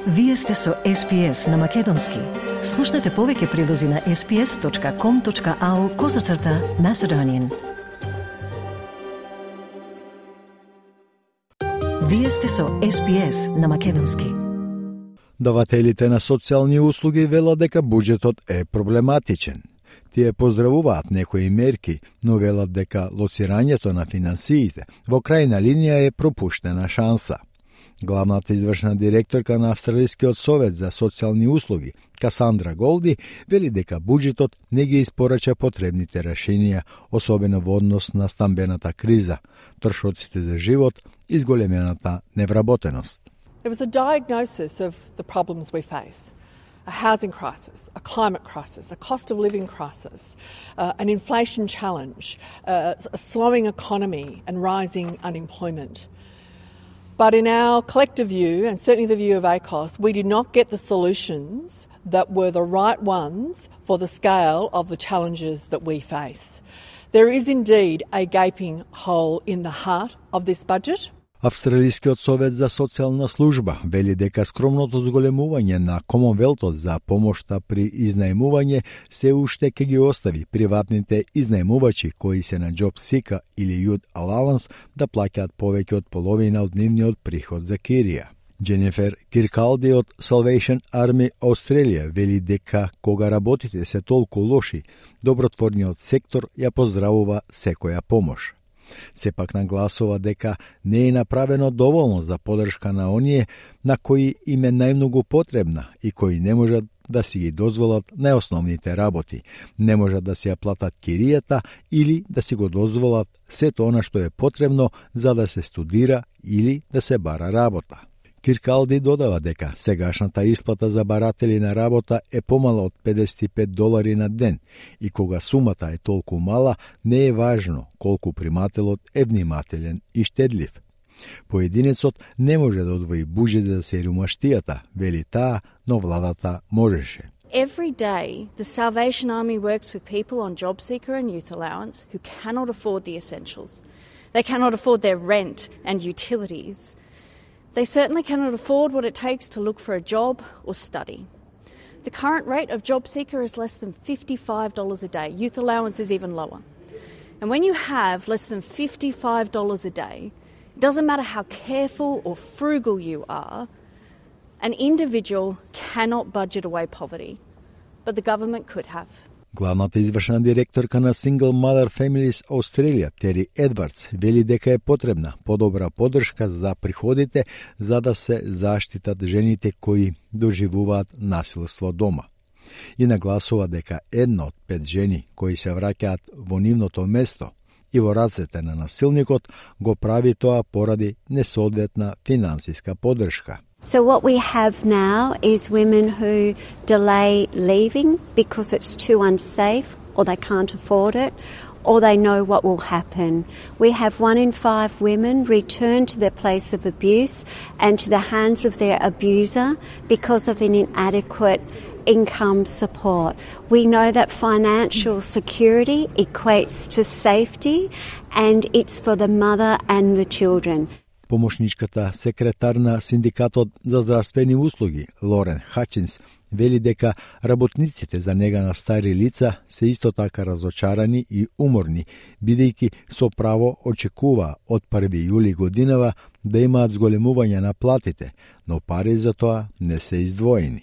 Вие сте со SPS на Македонски. Слушнете повеќе прилози на sps.com.au/Macedonian. Вие сте со SPS на Македонски. Давателите на социјални услуги велат дека буџетот е проблематичен. Тие поздравуваат некои мерки, но велат дека лоцирањето на финансиите во крајна линија е пропуштена шанса. Главната извршна директорка на Австралискиот совет за социјални услуги, Касандра Голди, вели дека буџетот не ги испорача потребните решенија, особено во однос на стамбената криза, трошоците за живот и зголемената невработеност. There was a diagnosis of the problems we face. A housing crisis, a climate crisis, a cost of living crisis, an inflation challenge, a slowing economy and rising unemployment. But in our collective view, and certainly the view of ACOS, we did not get the solutions that were the right ones for the scale of the challenges that we face. There is indeed a gaping hole in the heart of this budget. Австралискиот совет за социјална служба вели дека скромното зголемување на Комонвелтот за помошта при изнаемување се уште ќе ги остави приватните изнаемувачи кои се на Job Seeker или Youth Allowance да плаќаат повеќе од половина од нивниот приход за кирија. Дженифер Киркалди од Salvation Army Australia вели дека кога работите се толку лоши, добротворниот сектор ја поздравува секоја помош. Сепак нагласува дека не е направено доволно за поддршка на оние на кои им е најмногу потребна и кои не можат да си ги дозволат најосновните работи, не можат да си ја платат киријата или да си го дозволат сето она што е потребно за да се студира или да се бара работа. Киркалди додава дека сегашната исплата за баратели на работа е помала од $55 на ден и кога сумата е толку мала, не е важно колку примателот е внимателен и штедлив. Поединецот не може да одвои буџет за сиромаштијата, вели таа, но владата можеше. Every day, the Salvation Army works with people on Job Seeker and Youth Allowance who cannot afford the essentials. They cannot afford their rent and utilities. They certainly cannot afford what it takes to look for a job or study. The current rate of Job Seeker is less than $55 a day. Youth Allowance is even lower. And when you have less than $55 a day, it doesn't matter how careful or frugal you are, an individual cannot budget away poverty, but the government could have. Главната извршна директорка на Single Mother Families Australia, Тери Едвардс, вели дека е потребна подобра поддршка за приходите за да се заштитат жените кои доживуваат насилство дома. И нагласува дека 1 од 5 жени кои се враќаат во нивното место и во рацете на насилникот го прави тоа поради несоодветна финансиска поддршка. So what we have now is women who delay leaving because it's too unsafe or they can't afford it or they know what will happen. We have 1 in 5 women return to their place of abuse and to the hands of their abuser because of an inadequate income support. We know that financial security equates to safety and it's for the mother and the children. Помошничката секретар на Синдикатот за здравствени услуги, Лорен Хачинс, вели дека работниците за нега на стари лица се исто така разочарани и уморни, бидејќи со право очекува од 1 јули годинава да имаат зголемување на платите, но пари за тоа не се издвоени.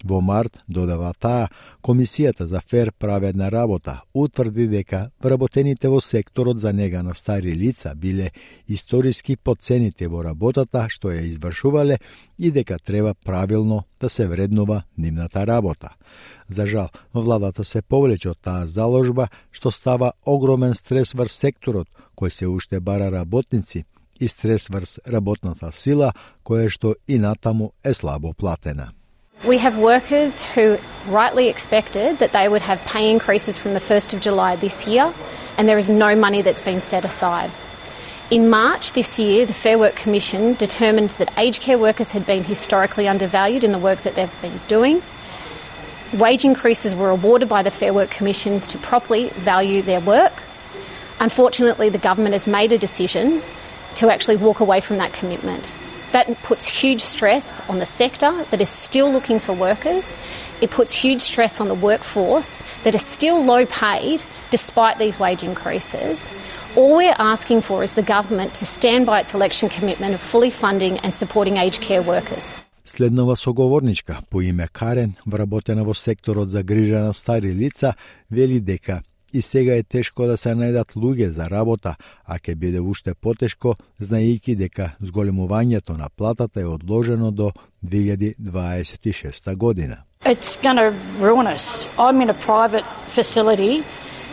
Во март, додава таа, Комисијата за фер праведна работа утврди дека вработените во секторот за нега на стари лица биле историски потцените во работата што ја извршувале и дека треба правилно да се вреднува нивната работа. За жал, владата се повлече од таа заложба што става огромен стрес врз секторот кој се уште бара работници и стрес врз работната сила која што и натаму е слабо платена. We have workers who rightly expected that they would have pay increases from the 1st of July this year, and there is no money that's been set aside. In March this year, the Fair Work Commission determined that aged care workers had been historically undervalued in the work that they've been doing. Wage increases were awarded by the Fair Work Commissions to properly value their work. Unfortunately, the government has made a decision to actually walk away from that commitment. That puts huge stress on the sector that is still looking for workers. It puts huge stress on the workforce that is still low paid despite these wage increases. All we're asking for is the government to stand by its election commitment of fully funding and supporting aged care workers. Следнава соговорничка по име Карен, вработена во секторот за грижа на стари лица, вели дека и сега е тешко да се најдат луѓе за работа, а ќе биде уште потешко, знаејќи дека зголемувањето на платата е одложено до 2026 година. It's going to ruin us. I'm in a private facility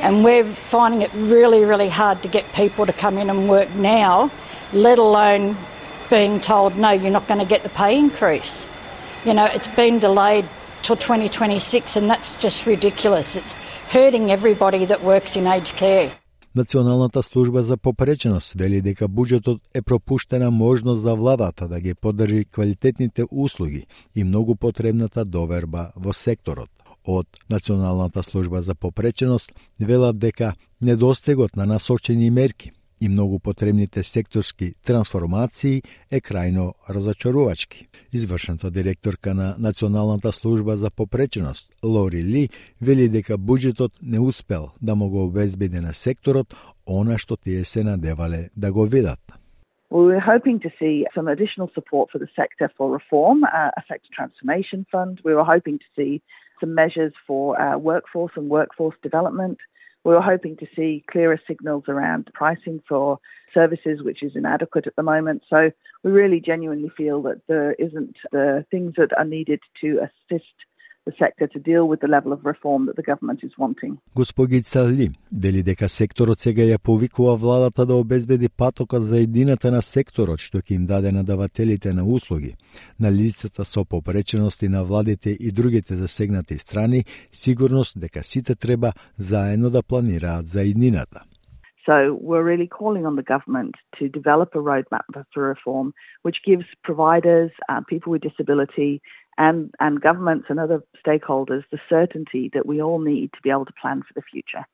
and we're finding it really, really hard to get people to come in and work now, let alone being told, no, you're not going to get the pay increase. You know, it's been delayed till 2026 and that's just ridiculous. It's hurting everybody that works in aged care. Националната служба за попреченост вели дека буџетот е пропуштена можност за владата да ги поддржи квалитетните услуги и многу потребната доверба во секторот. Од Националната служба за попреченост велат дека недостигот на насочени мерки и многу потребните секторски трансформации е крајно разочарувачки. Извршната директорка на Националната служба за попреченост, Лори Ли, вели дека буџетот не успел да му го обезбеди на секторот она што тие се надевале да го видат. Well, we're hoping to see some additional support for the sector for reform, a sector transformation fund. We were hoping to see some measures for workforce and workforce development. We were hoping to see clearer signals around pricing for services, which is inadequate at the moment. So we really genuinely feel that there isn't the things that are needed to assist the sector to deal with the level of reform that the government is wanting. Господица Ли вели дека секторот сега ја повикува владата да обезбеди патокот за едината на секторот што ќе им даде на давателите на услуги, на лицата со попреченост и на владите и другите засегнати страни, сигурност дека сите треба заедно да планираат за еднината. So we're really calling on the government to develop a roadmap for reform which gives providers, people with disability and governments and other stakeholders the certainty that we all need to be able to plan for the future.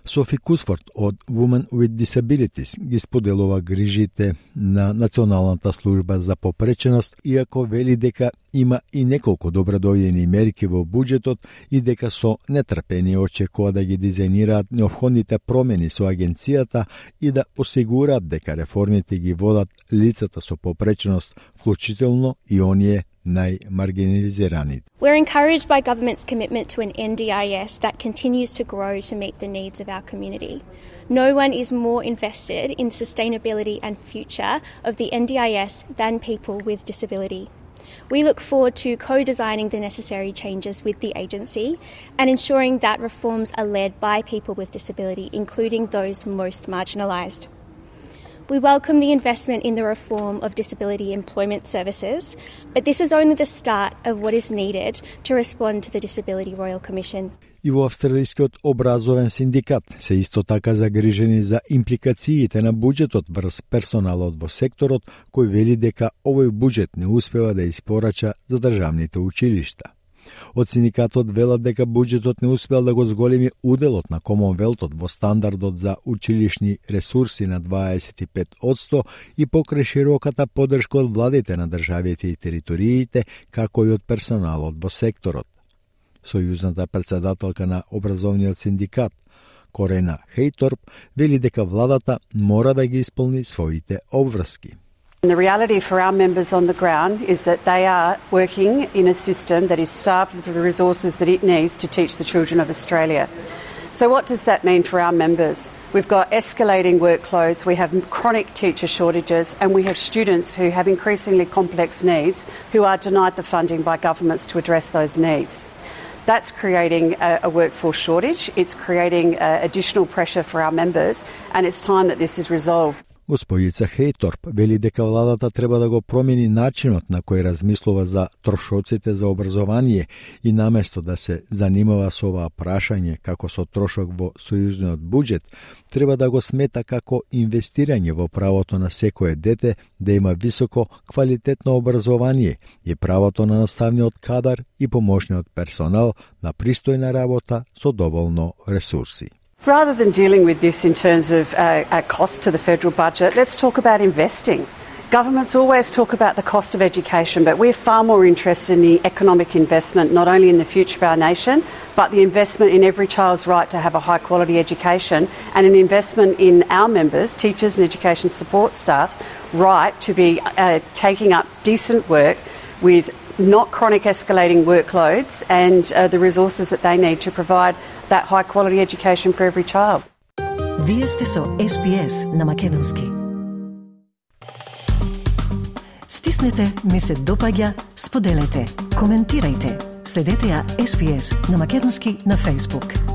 Софи Кусфорд од Women with Disabilities ги споделува грижите на Националната служба за попреченост, иако вели дека има и неколку добродојдени мерки во буџетот и дека со нетрпение очекува да ги дизајнираат неопходните промени со агенцијата и да осигураат дека реформите ги водат лицата со попреченост, вклучително и оние најмаргинализирани. We're encouraged by government's commitment to an NDIS that continues to grow to meet the needs of our community. No one is more invested in the sustainability and future of the NDIS than people with disability. We look forward to co-designing the necessary changes with the agency and ensuring that reforms are led by people with disability, including those most marginalised. We welcome the investment in the reform of disability employment services, but this is only the start of what is needed to respond to the Disability Royal Commission. И во Австралискиот образовен синдикат се исто така загрижени за импликациите на буџетот врз персоналот во секторот, кој вели дека овој буџет не успева да испорача за државните училишта. Од синдикатот велат дека буџетот не успел да го зголеми уделот на Комонвелтот во стандардот за училишни ресурси на 25% и покрај широката поддршка од владите на државите и териториите, како и од персоналот во секторот. Сојузната председателка на образовниот синдикат, Корена Хейторп, вели дека владата мора да ги исполни своите обврски. The reality for our members on the ground is that they are working in a system that is starved of the resources that it needs to teach the children of Australia. So what does that mean for our members? We've got escalating workloads, we have chronic teacher shortages, and we have students who have increasingly complex needs who are denied the funding by governments to address those needs. That's creating a workforce shortage, it's creating additional pressure for our members, and it's time that this is resolved. Господица Хейторп вели дека владата треба да го промени начинот на кој размислува за трошоците за образование и наместо да се занимава со оваа прашање како со трошок во сојузниот буџет, треба да го смета како инвестирање во правото на секое дете да има високо квалитетно образование и правото на наставниот кадар и помошниот персонал на пристојна работа со доволно ресурси. Rather than dealing with this in terms of a cost to the federal budget, let's talk about investing. Governments always talk about the cost of education, but we're far more interested in the economic investment, not only in the future of our nation, but the investment in every child's right to have a high-quality education and an investment in our members, teachers and education support staff, right to be taking up decent work with not chronic escalating workloads and the resources that they need to provide that high-quality education for every child. Вие сте со SPS на Македонски. Стиснете, ми се допаѓа, споделете, коментирајте. Следете ја SPS на Македонски на Facebook.